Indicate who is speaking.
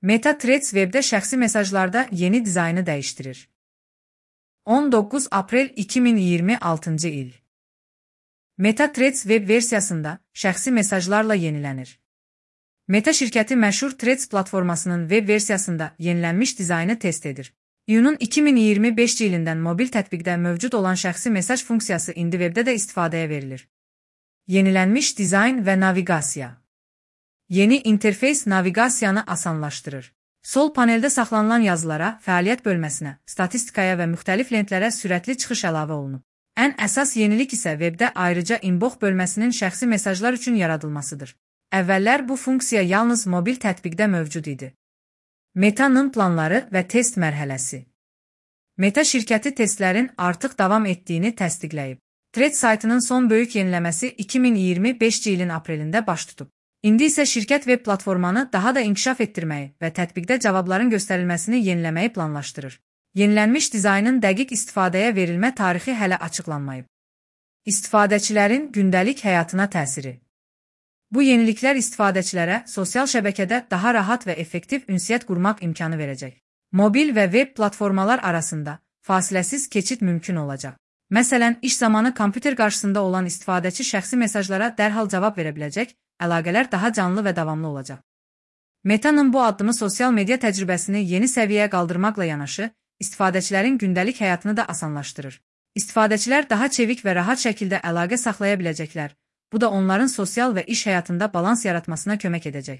Speaker 1: Meta Threads webdə şəxsi mesajlarda yeni dizaynı dəyişdirir. 19 aprel 2026-cı il. Meta Threads web versiyasında şəxsi mesajlarla yenilənir. Meta şirkəti məşhur Threads platformasının web versiyasında yenilənmiş dizaynı test edir. İyunun 2025 ilindən mobil tətbiqdə mövcud olan şəxsi mesaj funksiyası indi webdə də istifadəyə verilir. Yenilənmiş dizayn və naviqasiya. Yeni interfeys naviqasiyanı asanlaşdırır. Sol paneldə saxlanılan yazılara, fəaliyyət bölməsinə, statistikaya və müxtəlif lentlərə sürətli çıxış əlavə olunub. Ən əsas yenilik isə webdə ayrıca inbox bölməsinin şəxsi mesajlar üçün yaradılmasıdır. Əvvəllər bu funksiya yalnız mobil tətbiqdə mövcud idi. Meta'nın planları və test mərhələsi. Meta şirkəti testlərin artıq davam etdiyini təsdiqləyib. Threads saytının son böyük yeniləməsi 2025 ilin aprelində baş tutub. İndi isə şirkət web platformanı daha da inkişaf etdirməyi və tətbiqdə cavabların göstərilməsini yeniləməyi planlaşdırır. Yenilənmiş dizaynın dəqiq istifadəyə verilmə tarixi hələ açıqlanmayıb. İstifadəçilərin gündəlik həyatına təsiri. Bu yeniliklər istifadəçilərə sosial şəbəkədə daha rahat və effektiv ünsiyyət qurmaq imkanı verəcək. Mobil və web platformalar arasında fasiləsiz keçid mümkün olacaq. Məsələn, iş zamanı kompüter qarşısında olan istifadəçi şəxsi mesajlara dərhal cavab verə biləcək, əlaqələr daha canlı və davamlı olacaq. Meta'nın bu addımı sosial media təcrübəsini yeni səviyyəyə qaldırmaqla yanaşı, istifadəçilərin gündəlik həyatını da asanlaşdırır. İstifadəçilər daha çevik və rahat şəkildə əlaqə saxlaya biləcəklər. Bu da onların sosial və iş həyatında balans yaratmasına kömək edəcək.